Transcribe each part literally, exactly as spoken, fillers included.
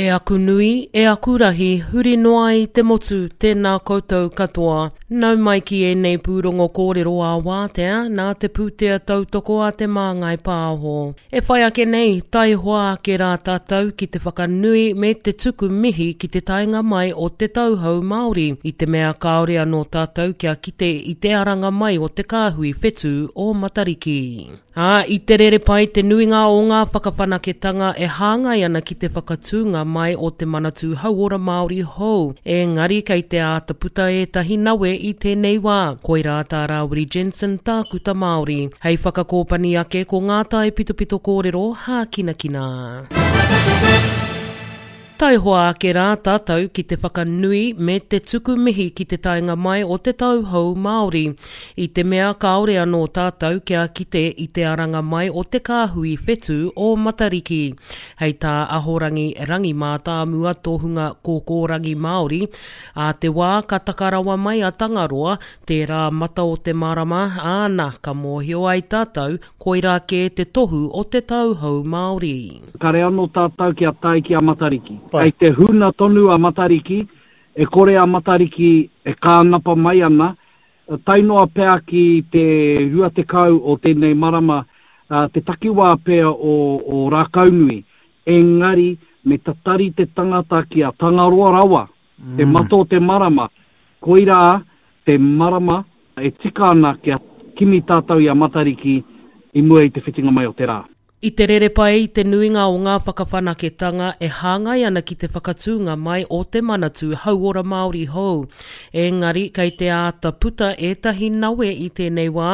E aku nui, e aku rahi, huri noa i te motu, tēnā koutou katoa. Nau mai ki ēnei pūrongo kōrero ā wātea, nā te pūtea tautoko a Te Māngai Pāho. E whai ake nei, taihoa ake rā tātou ki te whakanui me te tuku mihi ki te taenga mai o te tauhou Māori, i te mea kāore anō tātou kia kite i te aranga mai o te kāhui whetū o Matariki. Ā, i te rere pai te nuinga o ngā whakawhanaketanga e hāngai ana ki te whakatūnga mai o te Manatū Hauora Māori hou, engari kei te āta puta ētahi nawe i tēnei wā. Koirā tā Rāwiri Jensen tākuta Māori. Hei whakakōpani ake ko ngā taipitopito kōrero hākinakina. Taihoa ake rā tātou ki te whakanui me te tuku mihi ki te taenga mai o te tauhou Māori. I te mea kāore anō tātou kia kite i te aranga mai o te kāhui whetū o Matariki. Hei tā Ahorangi Rangi Mātāmua tohunga kōkōrangi Māori, ā te wā ka taka rawa mai a Tangaroa, tērā mata o te marama, āna ka mōhio ai tātou koirā kē te tohu o te tauhou Māori. Kare anō tātou kia tae ki a Matariki. Kei te huna tonu a Matariki, e kore a Matariki e kānapa mai ana, tae noa pea ki te rua tekau o tēnei marama, te takiwā pea o, o Rākaunui. Engari, me tatari te tangata ki a Tangaroa rawa, te mata o te marama, koirā te marama e tika ana kia kimi tātou i a Matariki i mua i te whitinga mai o te rā. I te rere pai i te nuinga o ngā whakawhanaketanga e hāngai ana ki te whakatūnga mai o te Manatū Hauora Māori hou. Engari, kei te āta puta ētahi nawe i tēnei wā,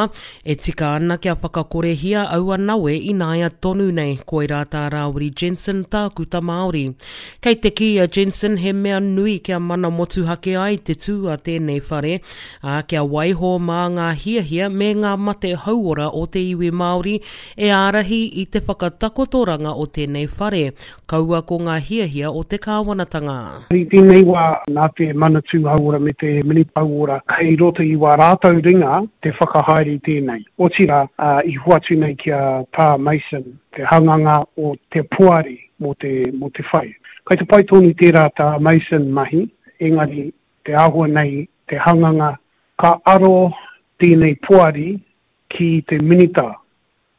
e tika ana kia whakakorehia aua nawe ināia tonu nei, koirā tā Rāwiri Jensen tākuta Māori. Kei te kī a Jensen he mea nui kia mana motuhake ai te tū a tēnei whare, ā, kia waiho mā ngā hiahia me ngā mate hauora o te iwi Māori e ārahi i te whakatakotoranga o tēnei whare, kaua ko ngā hiahia o te kāwanatanga. I tēnei wā, nā te Manatū Hauora me te Minita Hauora, kei roto i wā rātou ringa te whakahaere i tēnei. Otirā, i hoatu nei ki a Tā Mason, te hanganga o te poari mō te, mō te whare. Kei te pai tonu tērā tā Mason mahi, engari te āhua nei, te hanganga, ka aro tēnei poari ki te minita,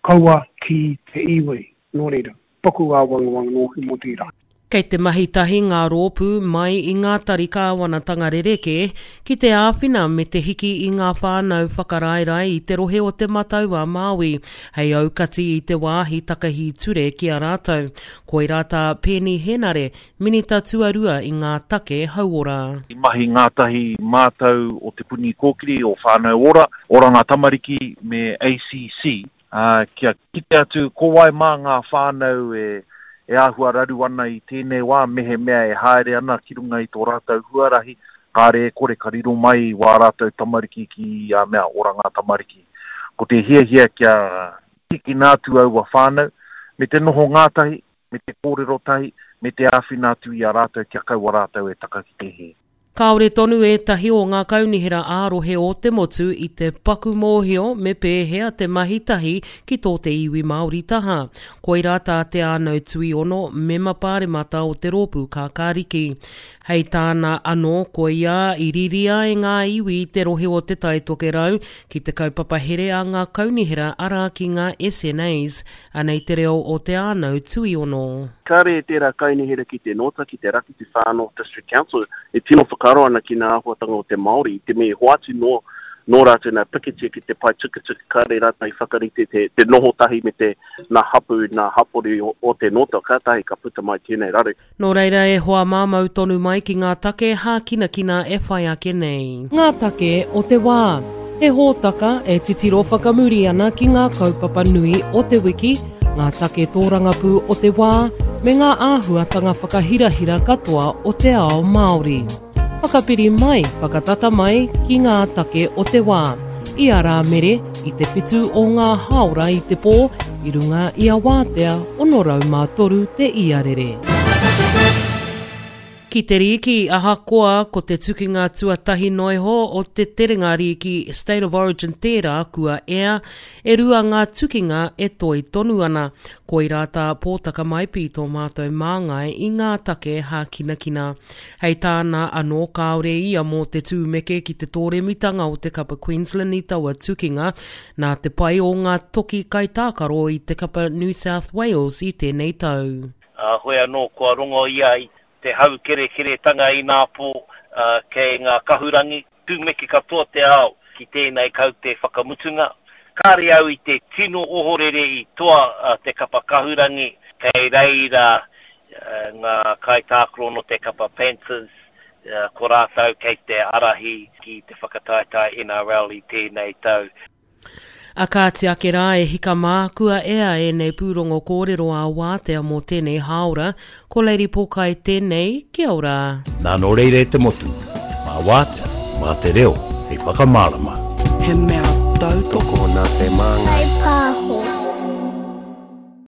kaua ki te iwi. Nō reira, paku āwangawanga nōku mō tērā. Kei te mahi tahi ngā rōpū mai i ngā tari kāwanatanga rerekē ki te āwhina me te hiki i ngā whānau whakaraerae i te rohe o Te Matau a Māui, hei aukati i te wāhi takahi ture ki a rātou. Koirā tā Peeni Henare, Minita Tuarua i ngā take hauora. I mahi ngātahi mātou o Te Puni Kōkiri, o Whānau Ora, Oranga Tamariki me A C C, uh, kia kite atu ko wai mā ngā whānau e, e āhua raru ana i tēnei wā, mehemea e haere ana ki runga i tō rātou huarahi, kāre e kore ka riro mai wā rātou tamariki ki a mea Oranga Tamariki. Ko te hiahia kia tīkina atu aua whānau, me te noho ngātahi, me te kōrero tahi, me te āwhina atu i a rātou kia kaua rātou e taka ki te hē. Kāore tonu ētahi o ngā kaunihera ā-rohe o te motu i te paku mōhio me pēhea te mahi tahi ki tō te iwi Māori taha. Koirā tā Te Ānau Tuiono, mema pāremata o te rōpū Kākāriki. Hei tāna anō, koia i riri ai ngā iwi i te rohe o Te Tai Tokerau ki te kaupapa here a ngā kaunihera arā ki ngā S N As. Anei te reo o Te Ānau Tuiono. Kāre e tērā kaunihera ki te nōta, ki te raki, te Far North District Council, e tino whakaaro ana ki ngā āhuatanga o te Māori, i te mea i hoatu nō, nō rātou nā pikitia ki te pae tukutuku, kāre rātou i whakarite te, te noho tahi me te nā hapu, nā hapori o, o te nōta, kātahi ka puta mai tēnei raru. Nō reira e hoa māmau tonu mai ki ngā take hākinakina e whai ake nei. Ngā take o te wā. He hōtaka e titiro whakamuri ana ki ngā kaupapa nui o te wiki, ngā take tōrangapū o te wā, me ngā āhuatanga whakahirahira katoa o te ao Māori. Whakapiri mai, whakatata mai ki ngā take o te wā. I a Rāmere, i te whitu o ngā hāora i te pō, i runga i a Wātea, ono rau mā toru te iarere. Ki te rīki, ahakoa ko te tukinga tuatahi noa iho o te terenga rīki State of Origin tērā kua ea, e rua ngā tukinga e toe tonu ana. Koirā tā Pōtaka Maipi tō mātou māngai i ngā take hākinakina. Hei tāna anō kāore ia mō te tūmeke ki te tōremitanga o te kapa Queensland i taua tukinga, nā te pai o ngā toki kaitākaro i te kapa New South Wales i tēnei tau. Ā, hoi anō kua rongo ia i te haukerekeretanga inapō kei ngā kahurangi, tūmeke katoa te ao ki tēnei kaute whakamutunga. Kāre au i te tino ohorere i toa te kapa kahurangi, kei reira ngā kaitākaro nō te kapa Panthers, ko rātou kei te ārahi ki te whakataetae N R L i tēnei tau. A kāti ake rā e hika mā, kua ea ēnei pūrongo kōrero ā wātea mō tēnei hāora, ko Lady Pōkai tēnei, kia ora. Nā nō reira e te motu, mā wātea, mā te reo, hei whakamārama. He mea tautoko nā te māngai.